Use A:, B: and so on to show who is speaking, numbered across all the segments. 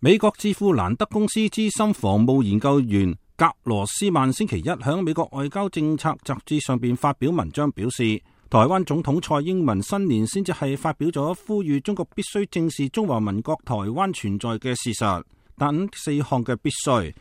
A: 美國智庫蘭德公司資深防務研究員格羅斯曼星期一喺美國外交政策雜誌上邊發表文章，表示台灣總統蔡英文新年先至係發表咗呼籲中國必須正視中華民國台灣存在嘅事實，但4項嘅必須。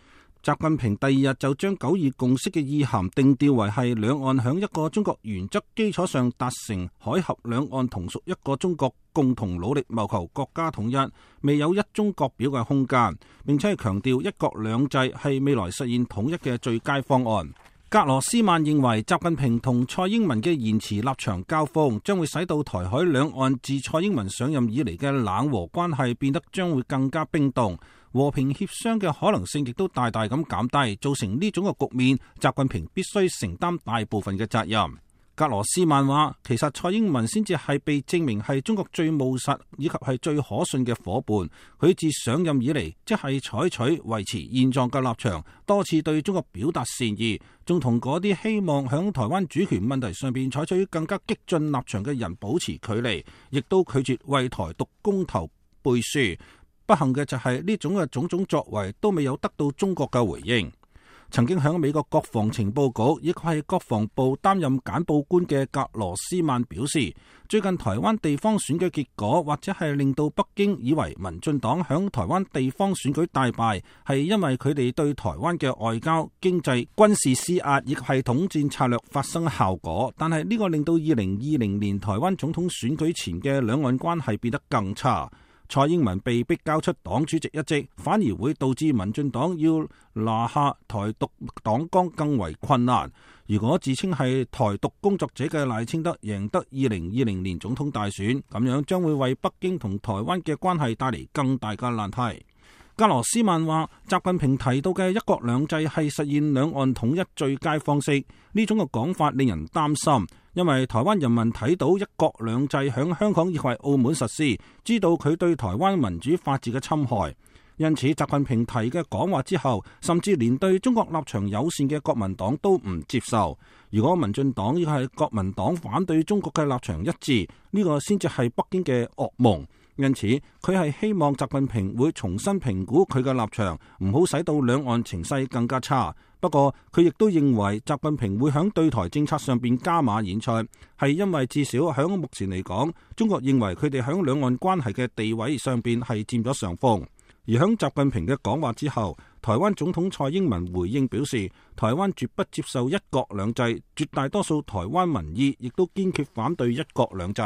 A: 習近平第2日就將9·2共識嘅意涵定調為係兩岸響一個中國原則基礎上達成海峽兩岸同屬一個中國，共同努力謀求國家統一，未有一中各表嘅空間，並且係強調一國兩制係未來實現統一嘅最佳方案。格羅斯曼認為習近平同蔡英文嘅言辭立場交鋒，將會使到台海兩岸自蔡英文上任以嚟嘅冷和關係變得將會更加冰凍，和平協商嘅可能性亦都大大咁減低，造成呢種嘅局面，習近平必須承擔大部分嘅責任。格羅斯曼話，其實蔡英文先至係被證明係中國最務實以及係最可信嘅夥伴。佢自上任以嚟，即係採取維持現狀嘅立場，多次對中國表達善意，仲同嗰啲希望響台灣主權問題上邊採取更加激進立場嘅人保持距離，亦都拒絕為台獨公投背書。不幸嘅就係呢種嘅種種作為都未有得到中國嘅回應。曾經喺美國國防情報局，亦係國防部擔任簡報官嘅格羅斯曼表示，最近台灣地方選舉結果，或者係令到北京以為民進黨響台灣地方選舉大敗，係因為佢哋對台灣嘅外交、經濟、軍事施壓，亦係統戰策略發生效果。但係呢個令到2020年台灣總統選舉前嘅兩岸關係變得更差。蔡英文被逼交出黨主席一職，反而會導致民進黨要拿下台獨黨綱更為困難。如果自稱係台獨工作者嘅賴清德贏得2020年總統大選，咁樣將會為北京同台灣嘅關係帶嚟更大嘅難題。格羅斯曼話，習近平提到嘅一國兩制係實現兩岸統一最佳方式，呢種嘅講法令人擔心，因為台灣人民睇到一國兩制響香港亦係澳門實施，知道佢對台灣民主法治嘅侵害。因此，習近平提嘅講話之後，甚至連對中國立場友善嘅國民黨都唔接受。如果民進黨亦係國民黨反對中國嘅立場一致，呢個先至係北京嘅噩夢。因此，佢係希望習近平會重新評估佢嘅立場，唔好使到兩岸情勢更加差。不過，佢亦都認為習近平會響對台政策上邊加碼演出，係因為至少響目前嚟講，中國認為佢哋響兩岸關係嘅地位上邊係佔咗上風。而響習近平嘅講話之後，台灣總統蔡英文回應表示，台灣絕不接受一國兩制，絕大多數台灣民意亦都堅決反對一國兩制。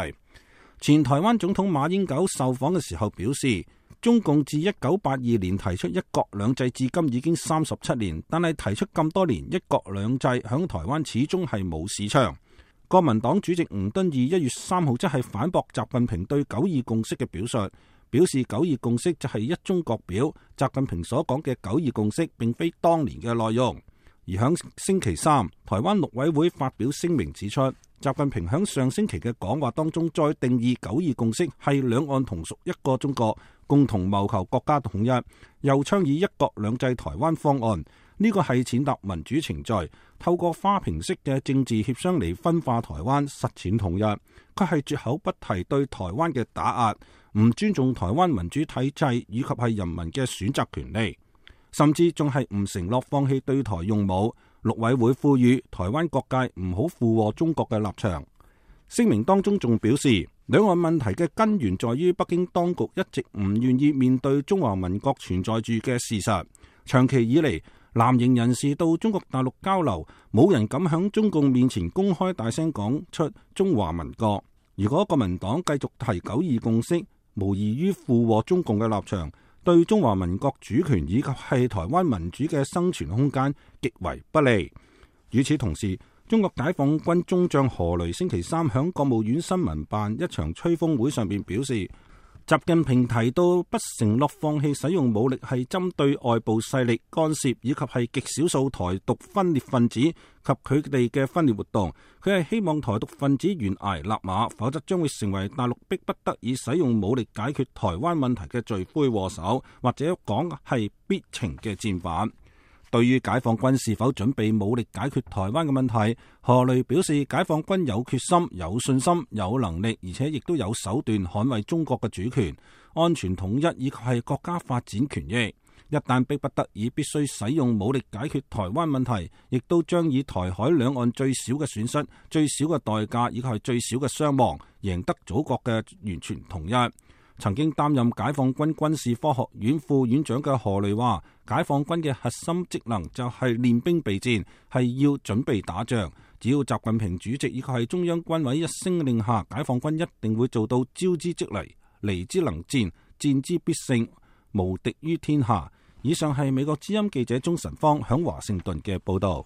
A: 前台灣總統馬英九受訪嘅時候表示，中共自1982年提出一國兩制至今已經37年，但係提出咁多年一國兩制響台灣始終係冇市場。國民黨主席吳敦義1月3號即係反駁習近平對9·2共識嘅表述，表示9·2共識就係一中各表，習近平所講嘅9·2共識並非當年嘅內容。而響星期三，台灣陸委會發表聲明指出，習近平響上星期嘅講話當中再定義9·2共識係兩岸同屬一個中國，共同謀求國家統一，又倡議一國兩制台灣方案。呢個係踐踏民主程序，透過花瓶式嘅政治協商嚟分化台灣，實踐統一。佢係絕口不提對台灣嘅打壓，唔尊重台灣民主體制以及係人民嘅選擇權利，甚至仲係唔承諾放棄對台用武。陸委會呼籲台灣各界唔好附和中國嘅立場。聲明當中仲表示，兩岸問題嘅根源在於北京當局一直唔願意面對中華民國存在住嘅事實。長期以嚟，藍營人士到中國大陸交流，冇人敢響中共面前公開大聲講出中華民國。如果國民黨繼續提9·2共識，無異於附和中共嘅立場，對中華民國主權以及係台灣民主嘅生存空間極為不利。與此同時，中國解放軍中將何雷星期三響國務院新聞辦一場吹風會上面表示，習近平提到不承諾放棄使用武力係針對外部勢力干涉以及係極少數台獨分裂分子及佢哋嘅分裂活動。佢係希望台獨分子懸崖勒馬，否則將會成為大陸迫不得已使用武力解決台灣問題嘅罪魁禍首，或者講係必情嘅戰犯。對於解放軍是否準備武力解決台灣嘅問題，何雷表示解放軍有決心、有信心、有能力，而且亦都有手段捍衛中國嘅主權、安全統一以及係國家發展權益。一旦逼不得已必須使用武力解決台灣問題，亦都將以台海兩岸最少嘅損失、最少嘅代價以及係最少嘅傷亡，贏得祖國嘅完全統一。曾經擔任解放軍軍事科學院副院長嘅何雷話，解放軍嘅核心職能就係練兵備戰，係要準備打仗。只要習近平主席以及係中央軍委一聲令下，解放軍一定會做到招之即嚟，嚟之能戰，戰之必勝，無敵於天下。以上係美國之音記者鍾晨芳響華盛頓嘅報道。